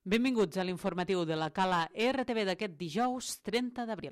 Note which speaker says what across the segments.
Speaker 1: Benvinguts a l'informatiu de la Cala RTV d'aquest dijous 30 d'abril.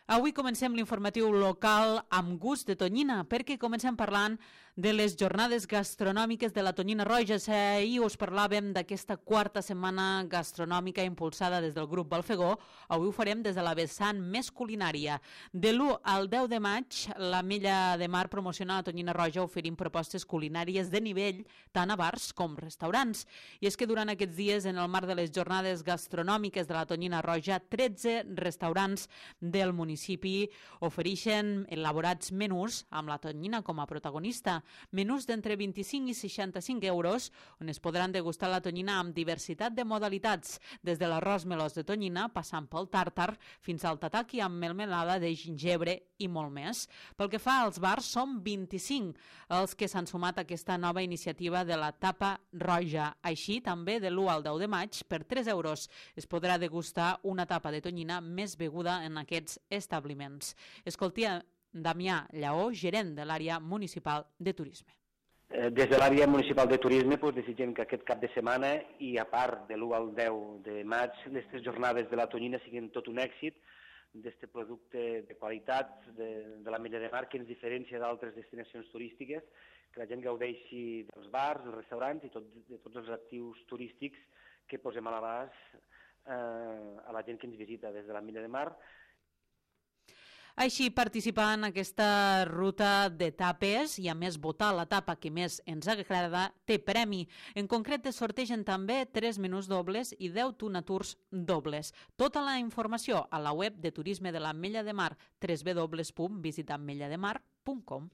Speaker 1: Avui comencem l'informatiu local amb gust de tonyina, perquè comencem parlant de les jornades gastronòmiques de la Tonyina Roja. Ahir us parlàvem d'aquesta quarta setmana gastronòmica impulsada des del grup Balfegó. Avui ho farem des de la vessant més culinària. De l'1 al 10 de maig, l'Ametlla de Mar promociona la Tonyina Roja oferint propostes culinàries de nivell tant a bars com restaurants. I és que durant aquests dies, en el marc de les jornades gastronòmiques de la Tonyina Roja, 13 restaurants del municipi ofereixen elaborats menús amb la tonyina com a protagonista. Menús d'entre 25 i 65 euros, on es podran degustar la tonyina amb diversitat de modalitats, des de l'arròs melós de tonyina, passant pel tàrtar, fins al tataki amb melmelada de gingebre i molt més. Pel que fa als bars, són 25 els que s'han sumat a aquesta nova iniciativa de la Tapa Roja. Així, també de l'1 al 10 de maig, per 3 euros, es podrà degustar una tapa de tonyina més beguda en aquests establiments. Escoltia Damià Lleó, gerent de l'àrea municipal de turisme.
Speaker 2: Des de l'àrea municipal de turisme desitgem que aquest cap de setmana i a part de l'1 al 10 de maig, aquestes jornades de la tonyina siguin tot un èxit d'aquest producte de qualitat de l'Ametlla de Mar que ens diferencia d'altres destinacions turístiques, que la gent gaudeixi dels bars, dels restaurants i de tots els actius turístics que posem a l'abast a la gent que ens visita des de l'Ametlla de Mar.
Speaker 1: Així, participar en aquesta ruta de tapes i a més votar la tapa que més ens agrada té premi. En concret es sortegen també 3 menús dobles i 10 tuna tours dobles. Tota la informació a la web de turisme de l'Ametlla de Mar, www.visitametllademar.com.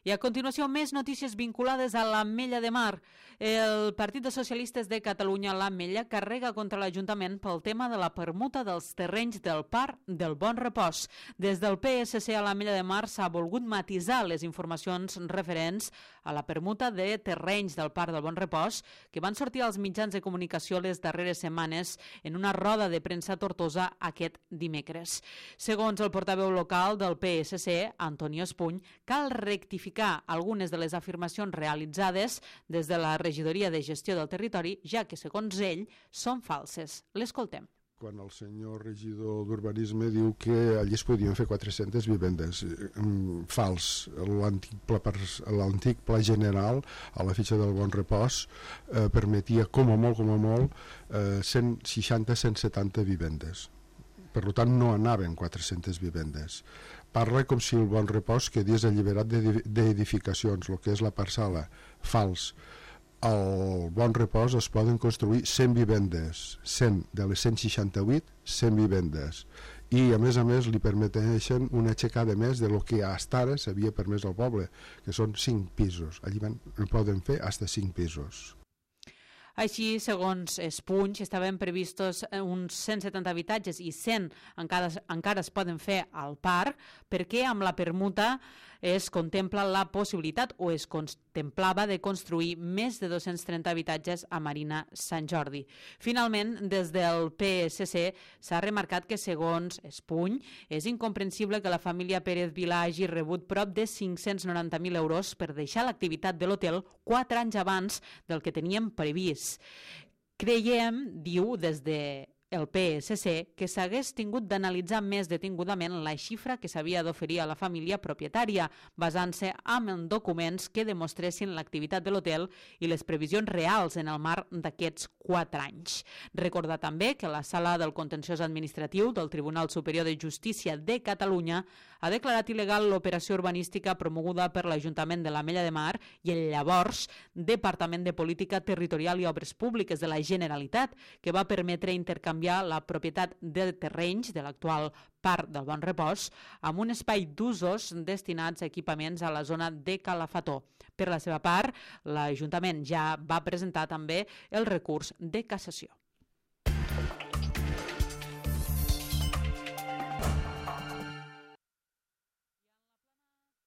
Speaker 1: I a continuació, més notícies vinculades a l'Ametlla de Mar. El Partit de Socialistes de Catalunya, l'Ametlla, carrega contra l'Ajuntament pel tema de la permuta dels terrenys del Parc del Bon Repòs. Des del PSC a l'Ametlla de Mar s'ha volgut matisar les informacions referents a la permuta de terrenys del Parc del Bon Repòs que van sortir als mitjans de comunicació les darreres setmanes en una roda de premsa a Tortosa aquest dimecres. Segons el portaveu local del PSC, Antonio Espuny, cal rectificar algunes de les afirmacions realitzades des de la regidoria de gestió del territori, ja que, segons ell, són falses. L'escoltem.
Speaker 3: Quan el senyor regidor d'Urbanisme diu que allí es podien fer 400 vivendes. Fals. L'antic pla general a la fitxa del Bon Repòs permetia com a molt 160-170 vivendes. Per tant, no anaven 400 vivendes. Parla com si el Bon Repòs quedés alliberat d'edificacions, el que és la parcel·la. Fals. Al Bon Repòs es poden construir 100 vivendes, 100 de les 168, 100 vivendes. I a més li permeteixen una aixecada més de lo que fins ara s'havia permès al poble, que són 5 pisos. Allí poden fer fins a 5 pisos.
Speaker 1: Així, segons Espuny, estaven previstos uns 170 habitatges i 100 encara es poden fer al parc, perquè amb la permuta es contempla la possibilitat o es contemplava de construir més de 230 habitatges a Marina Sant Jordi. Finalment, des del PSC s'ha remarcat que, segons Espuny, és incomprensible que la família Pérez Vilà hagi rebut prop de 590.000 euros per deixar l'activitat de l'hotel 4 anys abans del que tenien previst. Creiem, diu des de el PSC, que s'hagués tingut d'analitzar més detingudament la xifra que s'havia d'oferir a la família propietària, basant-se en documents que demostressin l'activitat de l'hotel i les previsions reals en el marc d'aquests 4 anys. Recordar també que la Sala del Contenciós Administratiu del Tribunal Superior de Justícia de Catalunya ha declarat il·legal l'operació urbanística promoguda per l'Ajuntament de l'Ametlla de Mar i el llavors Departament de Política Territorial i Obres Públiques de la Generalitat, que va permetre intercanviar la propietat de terrenys de l'actual Parc del Bon Repòs amb un espai d'usos destinats a equipaments a la zona de Calafató. Per la seva part, l'Ajuntament ja va presentar també el recurs de cassació.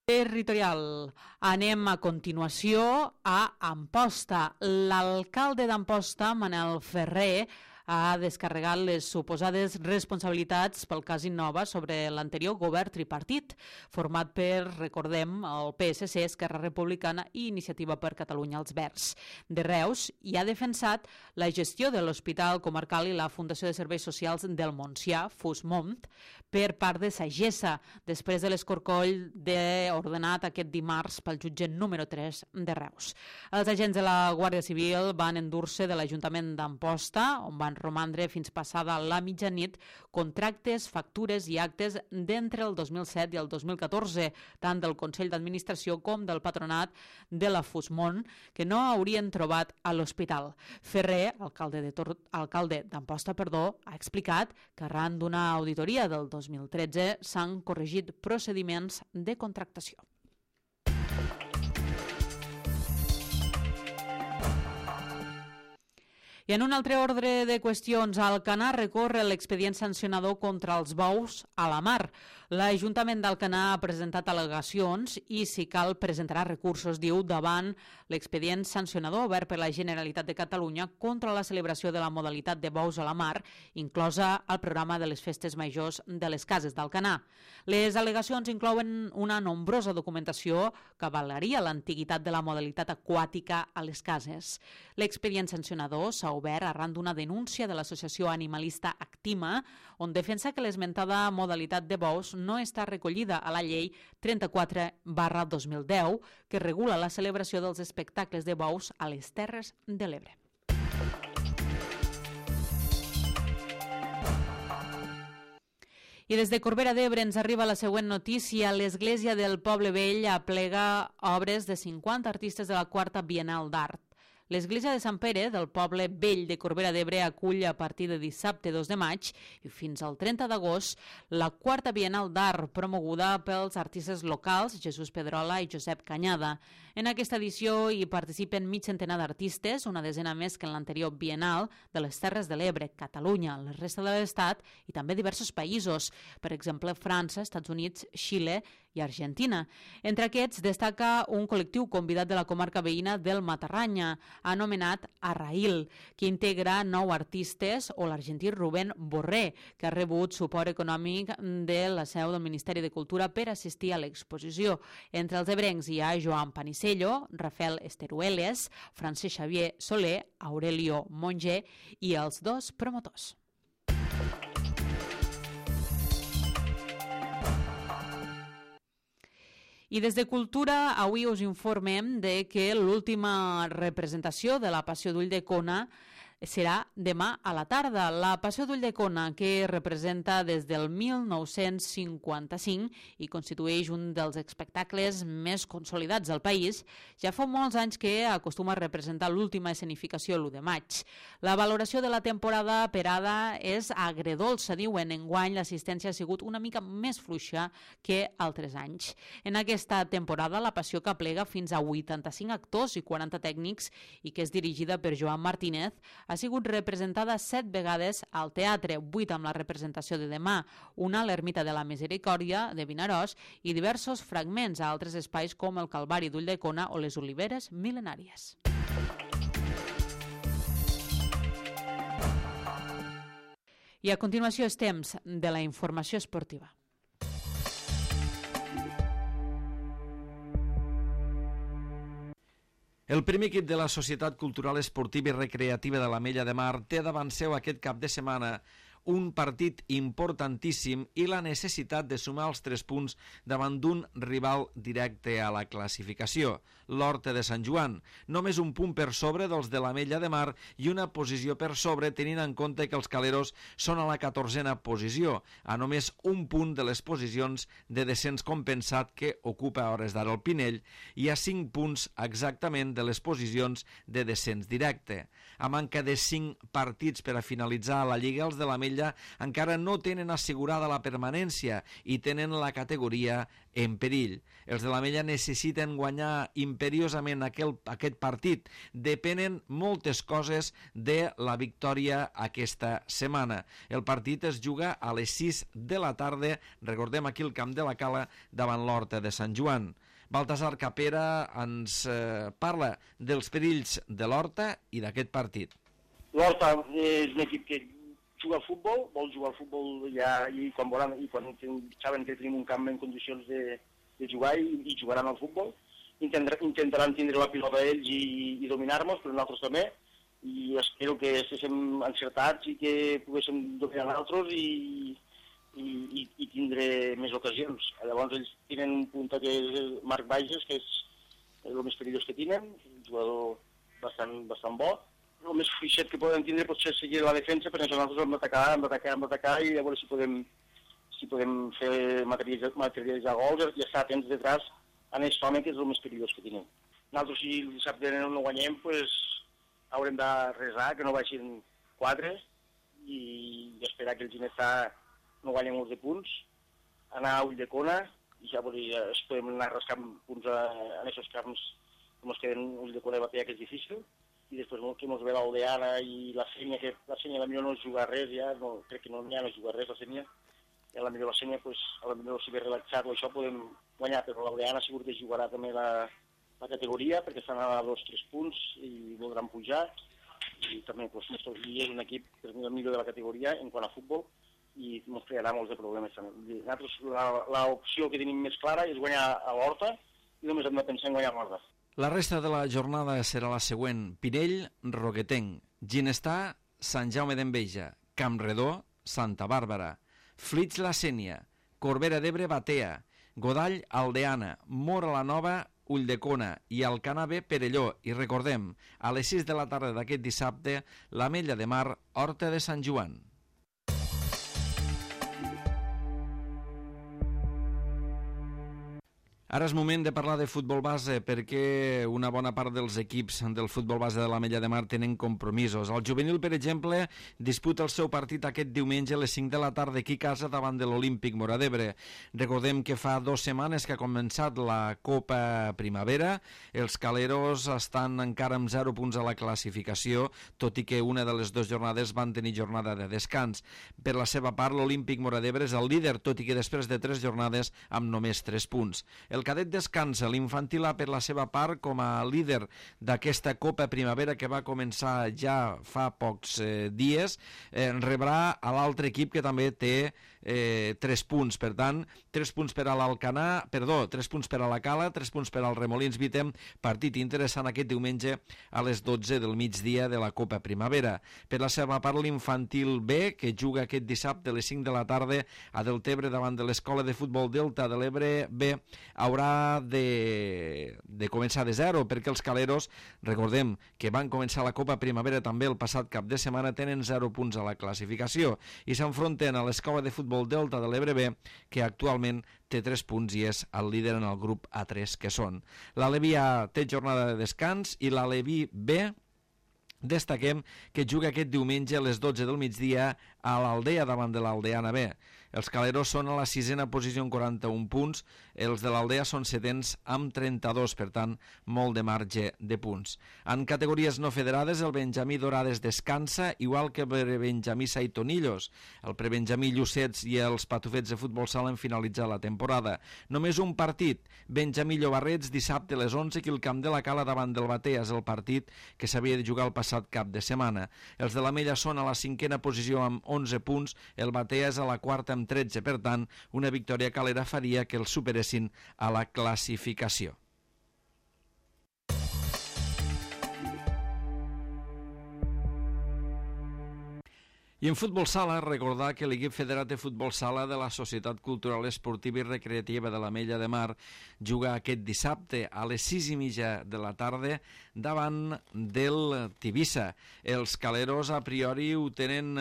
Speaker 1: Territorial. Anem a continuació a Amposta. L'alcalde d'Amposta, Manel Ferrer, ha descarregat les suposades responsabilitats pel cas Innova sobre l'anterior govern tripartit, format per, recordem, el PSC, Esquerra Republicana i Iniciativa per Catalunya als Verds. De Reus hi ha defensat la gestió de l'Hospital Comarcal i la Fundació de Serveis Socials del Montsià, FUSMONT, per part de Sagessa, després de l'escorcoll ordenat aquest dimarts pel jutge número 3 de Reus. Els agents de la Guàrdia Civil van endur-se de l'Ajuntament d'Amposta, on van romandre fins passada la mitjanit contractes, factures i actes d'entre el 2007 i el 2014, tant del Consell d'Administració com del Patronat de la FUSMONT, que no haurien trobat a l'hospital. Ferrer, alcalde d'Amposta, ha explicat que arran d'una auditoria del 2013 s'han corregit procediments de contractació. I en un altre ordre de qüestions, Alcanar recorre l'expedient sancionador contra els bous a la mar. L'Ajuntament d'Alcanar ha presentat al·legacions i, si cal, presentarà recursos, diu, davant l'expedient sancionador obert per la Generalitat de Catalunya contra la celebració de la modalitat de bous a la mar, inclosa al programa de les festes majors de les cases d'Alcanar. Les al·legacions inclouen una nombrosa documentació que avalaria l'antiguitat de la modalitat aquàtica a les cases. L'expedient sancionador s'ha obert arran d'una denúncia de l'associació animalista Actima, on defensa que l'esmentada modalitat de bous no està recollida a la llei 34/2010, que regula la celebració dels espectacles de bous a les Terres de l'Ebre. I des de Corbera d'Ebre ens arriba la següent notícia. L'Església del Poble Vell aplega obres de 50 artistes de la Quarta Biennal d'Art. L'Església de Sant Pere del Poble Vell de Corbera d'Ebre acull a partir de dissabte 2 de maig i fins al 30 d'agost la Quarta Biennal d'Art promoguda pels artistes locals Jesús Pedrola i Josep Canyada. En aquesta edició hi participen mig centenar d'artistes, una desena més que en l'anterior Biennal, de les Terres de l'Ebre, Catalunya, la resta de l'Estat i també diversos països, per exemple França, Estats Units, Xile i Argentina. Entre aquests destaca un col·lectiu convidat de la comarca veïna del Matarranya, anomenat Arraïl, que integra 9 artistes, o l'argentí Rubén Borré, que ha rebut suport econòmic de la seu del Ministeri de Cultura per assistir a l'exposició. Entre els ebrencs hi ha Joan Panisello, Rafael Esterueles, Francesc Xavier Soler, Aurelio Monge i els 2 promotors. I des de Cultura avui us informem de que l'última representació de la Passió d'Ull de Cona serà demà a la tarda. La Passió d'Ull de Cona, que representa des del 1955 i constitueix un dels espectacles més consolidats del país, ja fa molts anys que acostuma a representar l'última escenificació l'1 de maig. La valoració de la temporada perada és agredolça, diuen. Enguany l'assistència ha sigut una mica més fluixa que altres anys. En aquesta temporada la Passió, que aplega fins a 85 actors i 40 tècnics i que és dirigida per Joan Martínez, ha sigut representada 7 vegades al teatre, 8 amb la representació de demà, una a l'Ermita de la Misericòrdia de Vinaròs i diversos fragments a altres espais com el Calvari d'Ulldecona o les Oliveres Mil·lenàries. I a continuació és temps de la informació esportiva.
Speaker 4: El primer equip de la Societat Cultural Esportiva i Recreativa de l'Ametlla de Mar té davant seu aquest cap de setmana un partit importantíssim i la necessitat de sumar els 3 punts davant d'un rival directe a la classificació, l'Horta de Sant Joan. Només un punt per sobre dels de l'Ametlla de Mar i una posició per sobre, tenint en compte que els caleros són a la 14a posició, a només un punt de les posicions de descens compensat que ocupa a hores d'ara el Pinell i a 5 punts exactament de les posicions de descens directe. A manca de 5 partits per a finalitzar la Lliga, els de l'Ametlla encara no tenen assegurada la permanència i tenen la categoria en perill. Els de l'Ametlla necessiten guanyar imperiosament aquest partit. Depenen moltes coses de la victòria aquesta setmana. El partit es juga a les 6 de la tarda, recordem aquí el Camp de la Cala, davant l'Horta de Sant Joan. Baltasar Capera ens parla dels perills de l'Horta i d'aquest partit.
Speaker 5: L'Horta és un equip que juga al futbol, vol jugar al futbol ja, i quan saben que tenim un camp en condicions de jugar i jugaran al futbol. Intentaran tindre la pilota ells i dominar-nos, però nosaltres també, i espero que estiguem encertats i que poguéssim dominar nosaltres i tindre més ocasions. Llavors ells tenen un punta que és Marc Bages, que és el més perillós que tenen, un jugador bastant bo. El més fluixet que poden tindre pot ser seguir la defensa, perquè nosaltres hem d'atacar i a veure si podem fer materialitzar gols i estar atents detrás en aquest home, que és el més perillós que tenim. Nosaltres, si el dissabte no guanyem, haurem de resar, que no baixin 4 i esperar que el Ginestà no guanyi molts de punts, anar a Ulldecona i ja es podem anar rascant punts en aquests camps que ens queden. Ulldecona i Batea, que és difícil, i després que ens ve l'Aldeana i la Sénia, que la Sénia potser no juga res ja, crec que no juga res la Sénia, i potser la Sénia, potser si ve relaxar-lo això podem guanyar, però l'Aldeana segur que jugarà també la categoria, perquè estan a 2-3 punts i voldran pujar, i també Mestre Guia és un equip que és el millor de la categoria en quant a futbol i ens crearà molts de problemes també. Nosaltres l'opció que tenim més clara és guanyar a l'Horta i només hem de pensar en guanyar a l'Horta.
Speaker 4: La resta de la jornada serà la següent: Pinell, Roquetenc, Ginestà, Sant Jaume d'Enveja, Campredó, Santa Bàrbara, Flix la Sénia, Corbera d'Ebre, Batea, Godall, Aldeana, Móra la Nova, Ulldecona i Alcanar B, Perelló. I recordem, a les 6 de la tarda d'aquest dissabte, l'Ametlla de Mar, Horta de Sant Joan. Ara és moment de parlar de futbol base, perquè una bona part dels equips del futbol base de l'Ametlla de Mar tenen compromisos. El juvenil, per exemple, disputa el seu partit aquest diumenge a les 5 de la tarda aquí a casa davant de l'Olímpic Móra d'Ebre. Recordem que fa 2 setmanes que ha començat la Copa Primavera. Els caleros estan encara amb 0 punts a la classificació, tot i que una de les 2 jornades van tenir jornada de descans. Per la seva part, l'Olímpic Móra d'Ebre és el líder, tot i que després de 3 jornades amb només 3 punts. El cadet descansa, l'infantil A, per la seva part, com a líder d'aquesta Copa Primavera que va començar ja fa pocs dies, rebrà a l'altre equip que també té 3 punts. Per tant, 3 punts per a l'Alcanar, 3 punts per a la Cala, 3 punts per al Remolins Vitem. Partit interessant aquest diumenge a les 12 del migdia de la Copa Primavera. Per la seva part, l'infantil B, que juga aquest dissabte a les 5 de la tarda a Deltebre davant de l'Escola de Futbol Delta de l'Ebre B, haurà de començar de 0, perquè els caleros, recordem que van començar la Copa Primavera també el passat cap de setmana, tenen 0 punts a la classificació i s'enfronten a l'Escola de Futbol Delta de l'Ebre B, que actualment té 3 punts i és el líder en el grup A3, que són l'Aleví A té jornada de descans i l'Aleví B, destaquem que juga aquest diumenge a les 12 del migdia a l'Aldea davant de l'Aldeana B. Els caleros són a la 6a posició amb 41 punts, els de l'Aldea són 7ens amb 32, per tant, molt de marge de punts. En categories no federades, el Benjamí Dorades descansa, igual que el Benjamí Saitonillos. El prebenjamí Llucets i els Patufets de futbol sala han finalitzat la temporada. Només un partit, Benjamí Llobarrets, dissabte a les 11, aquí al Camp de la Cala davant del Batea, és el partit que s'havia de jugar el passat cap de setmana. Els de l'Ametlla són a la 5a posició amb 11 punts, el Batea és a la 4a amb 13, per tant, una victòria calera faria que els superessin a la classificació. I en futbol sala, recordar que l'equip federat de futbol sala de la Societat Cultural Esportiva i Recreativa de l'Ametlla de Mar juga aquest dissabte a les 6:30 de la tarda davant del Tivissa. Els caleros a priori ho tenen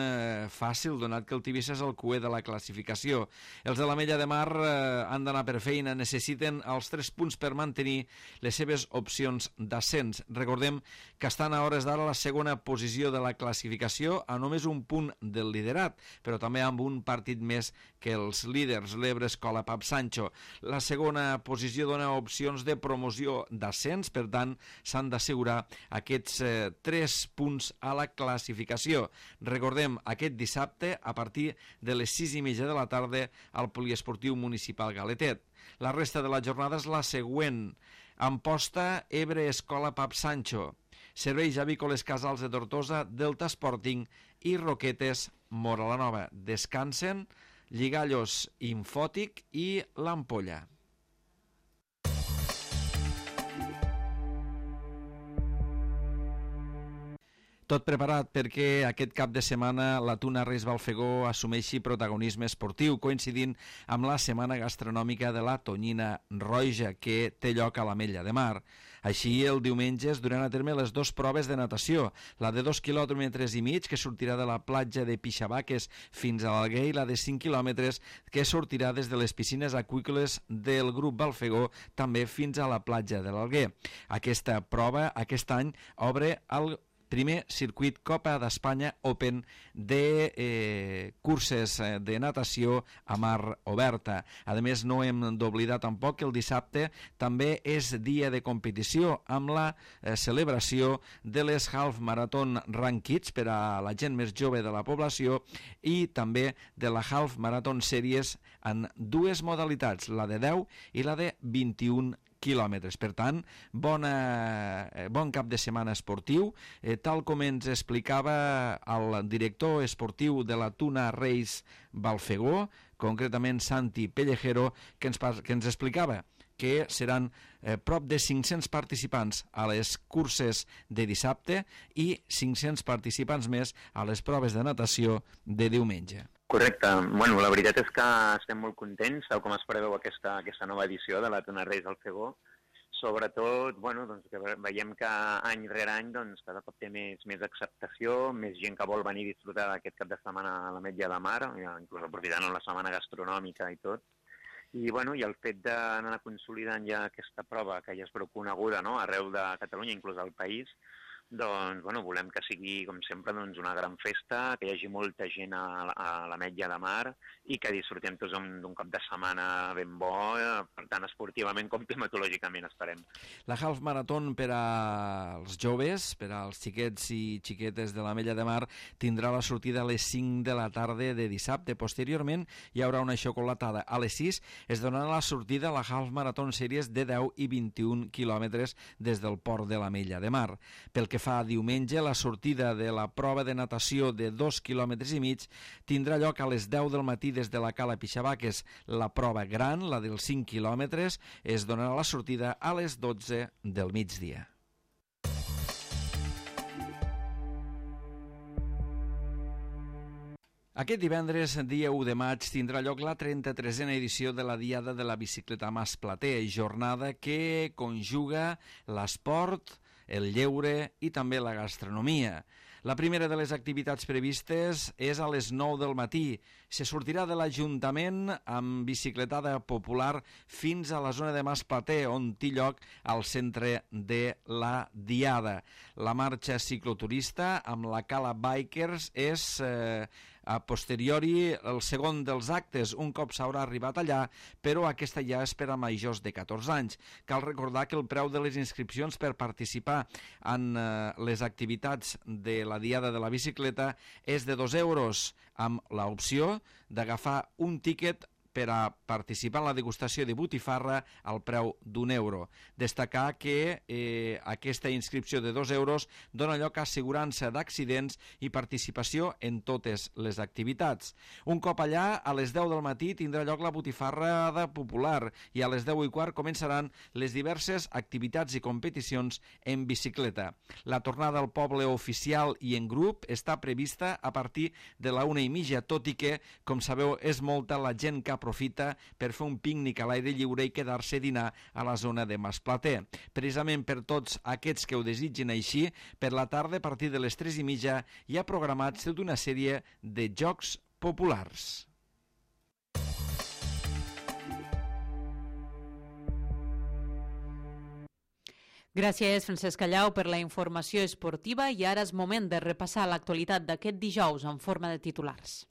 Speaker 4: fàcil, donat que el Tivissa és el cuer de la classificació. Els de l'Ametlla de Mar han d'anar per feina, necessiten els 3 punts per mantenir les seves opcions d'ascens. Recordem que estan a hores d'ara a la 2a posició de la classificació, a només un punt del liderat, però també amb un partit més que els líders, l'Ebre Escola Pap Sancho. La 2a posició dona opcions de promoció d'ascens, per tant s'han d'assegurar aquests 3 punts a la classificació. Recordem, aquest dissabte a partir de les 6:30 de la tarda al Poliesportiu Municipal Galetet. La resta de la jornada és la següent: Amposta, Ebre Escola Pap Sancho, Serveis Avícoles Casals de Tortosa, Delta Sporting i Roquetes Móra la Nova. Descansen Lligallos Infòtic i l'Ampolla. Tot preparat perquè aquest cap de setmana la Tuna Reis Balfegó assumeixi protagonisme esportiu, coincidint amb la Setmana Gastronòmica de la Tonyina Roja, que té lloc a l'Ametlla de Mar. Així, el diumenge es duran a terme les dues proves de natació, la de 2,5 quilòmetres, que sortirà de la platja de Pixabaques fins a l'Alguer, i la de 5 quilòmetres, que sortirà des de les piscines aqüícoles del grup Balfegó, també fins a la platja de l'Alguer. Aquesta prova, aquest any, obre el primer circuit Copa d'Espanya Open de curses de natació a mar oberta. A més, no hem d'oblidar tampoc que el dissabte també és dia de competició amb la celebració de les Half Marathon Run Kids per a la gent més jove de la població i també de la Half Marathon Series en dues modalitats, la de 10 i la de 21 quilòmetres. Per tant, bon cap de setmana esportiu, tal com ens explicava el director esportiu de la Tuna Reis Balfegó, concretament Santi Pellejero, que ens explicava que seran prop de 500 participants a les curses de dissabte i 500 participants més a les proves de natació de diumenge.
Speaker 6: Correcte. Bueno, la veritat és que estem molt contents, tal com es preveu aquesta nova edició de la Tuna Reis Balfegó. Sobretot, bueno, doncs, que veiem que any rere any doncs, cada cop té més acceptació, més gent que vol venir a disfrutar d'aquest cap de setmana a l'Ametlla de Mar, inclús aprofitant la setmana gastronòmica i tot. I, bueno, i el fet d'anar consolidant ja aquesta prova, que ja és prou coneguda, no?, arreu de Catalunya, inclús al país, doncs, bueno, volem que sigui, com sempre, doncs, una gran festa, que hi hagi molta gent a l'Ametlla de Mar i que disfrutem tots d'un cap de setmana ben bo, per tant, esportivament com climatològicament, esperem.
Speaker 4: La Half Marathon per als joves, per als xiquets i xiquetes de l'Ametlla de Mar, tindrà la sortida a les 5 de la tarda de dissabte. Posteriorment, hi haurà una xocolatada. A les 6 es donarà la sortida a la Half Marathon Series de 10 i 21 quilòmetres des del port de l'Ametlla de Mar. Pel que fa diumenge, la sortida de la prova de natació de 2,5 quilòmetres tindrà lloc a les 10 del matí des de la Cala Pixabaques. La prova gran, la dels 5 quilòmetres, es donarà la sortida a les 12 del migdia. Aquest divendres, dia 1 de maig, tindrà lloc la 33a edició de la Diada de la Bicicleta Masplater, jornada que conjuga l'esport, el lleure i també la gastronomia. La primera de les activitats previstes és a les 9 del matí. Se sortirà de l'Ajuntament amb bicicletada popular fins a la zona de Masplater, on té lloc al centre de la Diada. La marxa cicloturista amb la Cala Bikers és a posteriori el segon dels actes, un cop s'haurà arribat allà, però aquesta ja és per a majors de 14 anys. Cal recordar que el preu de les inscripcions per participar en les activitats de la Diada de la Bicicleta és de 2 euros, amb l'opció d'agafar un tíquet per a participar en la degustació de botifarra al preu d'1 euro. Destacar que aquesta inscripció de 2 euros dona lloc a assegurança d'accidents i participació en totes les activitats. Un cop allà, a les 10 del matí tindrà lloc la botifarrada popular i a les 10:15 començaran les diverses activitats i competicions en bicicleta. La tornada al poble oficial i en grup està prevista a partir de la 1:30, tot i que, com sabeu, és molta la gent que aprofita per fer un pícnic a l'aire lliure i quedar-se a dinar a la zona de Masplater. Precisament per tots aquests que ho desitgin així, per la tarda, a partir de les 3:30, hi ha programats tota una sèrie de jocs populars.
Speaker 1: Gràcies, Francesc Callau, per la informació esportiva, i ara és moment de repassar l'actualitat d'aquest dijous en forma de titulars.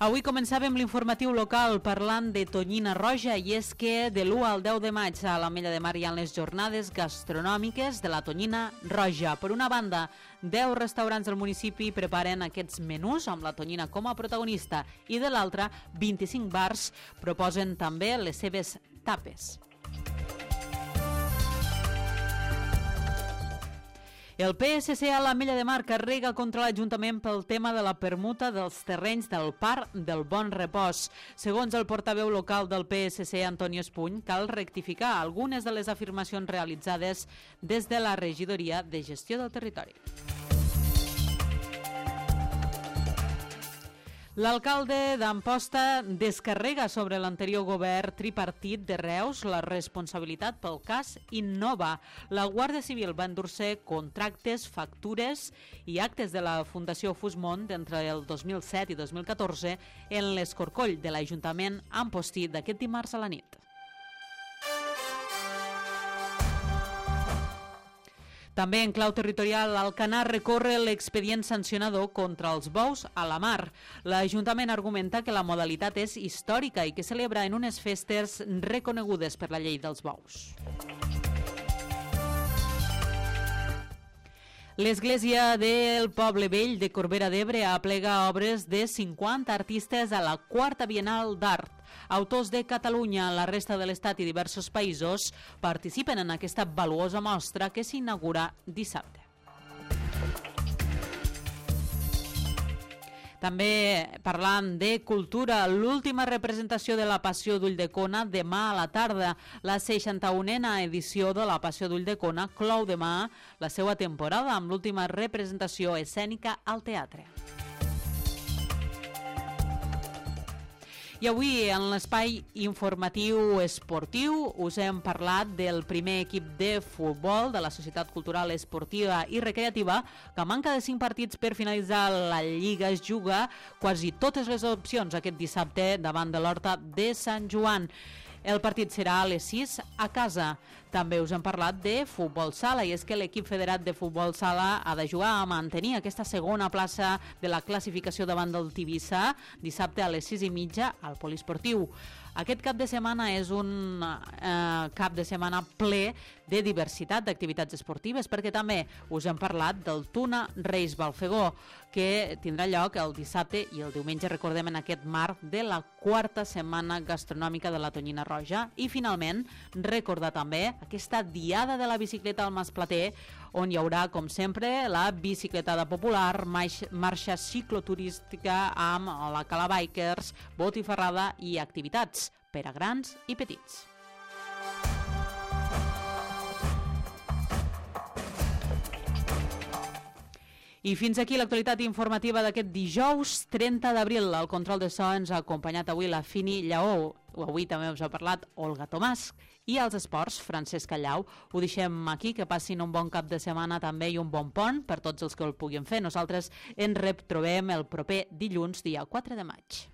Speaker 1: Avui començàvem l'informatiu local parlant de Tonyina Roja, i és que de l'1 al 10 de maig a l'Ametlla de Mar hi ha les jornades gastronòmiques de la Tonyina Roja. Per una banda, 10 restaurants del municipi preparen aquests menús amb la tonyina com a protagonista, i de l'altra, 25 bars proposen també les seves tapes. El PSC a l'Ametlla de Mar carrega contra l'Ajuntament pel tema de la permuta dels terrenys del Parc del Bon Repòs. Segons el portaveu local del PSC, Antonio Espuny, cal rectificar algunes de les afirmacions realitzades des de la Regidoria de Gestió del Territori. L'alcalde d'Amposta descarrega sobre l'anterior govern tripartit de Reus la responsabilitat pel cas Innova. La Guàrdia Civil va endur-se contractes, factures i actes de la Fundació Fusmont d'entre el 2007 i 2014 en l'escorcoll de l'Ajuntament ampostí d'aquest dimarts a la nit. També en clau territorial, Alcanar recorre l'expedient sancionador contra els bous a la mar. L'Ajuntament argumenta que la modalitat és històrica i que celebra en unes festes reconegudes per la llei dels bous. L'Església del Poble Vell de Corbera d'Ebre aplega obres de 50 artistes a la 4a Bienal d'Art. Autors de Catalunya, la resta de l'Estat i diversos països participen en aquesta valuosa mostra que s'inaugura dissabte. També parlant de cultura, l'última representació de la Passió d'Ulldecona demà a la tarda. La 61a edició de la Passió d'Ulldecona clou demà la seva temporada amb l'última representació escènica al teatre. I avui, en l'espai informatiu esportiu, us hem parlat del primer equip de futbol de la Societat Cultural Esportiva i Recreativa, que a manca de 5 partits per finalitzar la Lliga es juga quasi totes les opcions aquest dissabte davant de l'Horta de Sant Joan. El partit serà a les 6 a casa. També us hem parlat de futbol sala, i és que l'equip federat de futbol sala ha de jugar a mantenir aquesta segona plaça de la classificació davant del Tivissa dissabte a les 6:30 al Poliesportiu. Aquest cap de setmana és un cap de setmana ple de diversitat d'activitats esportives, perquè també us hem parlat del Tuna Reis Balfegó, que tindrà lloc el dissabte i el diumenge, recordem, en aquest marc de la 4a setmana gastronòmica de la Tonyina Roja. I finalment, recordar també aquesta diada de la bicicleta al Mas Plater, on hi haurà, com sempre, la bicicletada popular, marxa cicloturística amb la Cala Bikers, botifarrada i activitats per a grans i petits. I fins aquí l'actualitat informativa d'aquest dijous 30 d'abril. Al control de so ens ha acompanyat avui la Fini Lleó. Avui també us ha parlat Olga Tomàs. I als esports, Francesc Callau. Ho deixem aquí, que passin un bon cap de setmana també i un bon pont per tots els que el puguin fer. Nosaltres ens retrobem el proper dilluns, dia 4 de maig.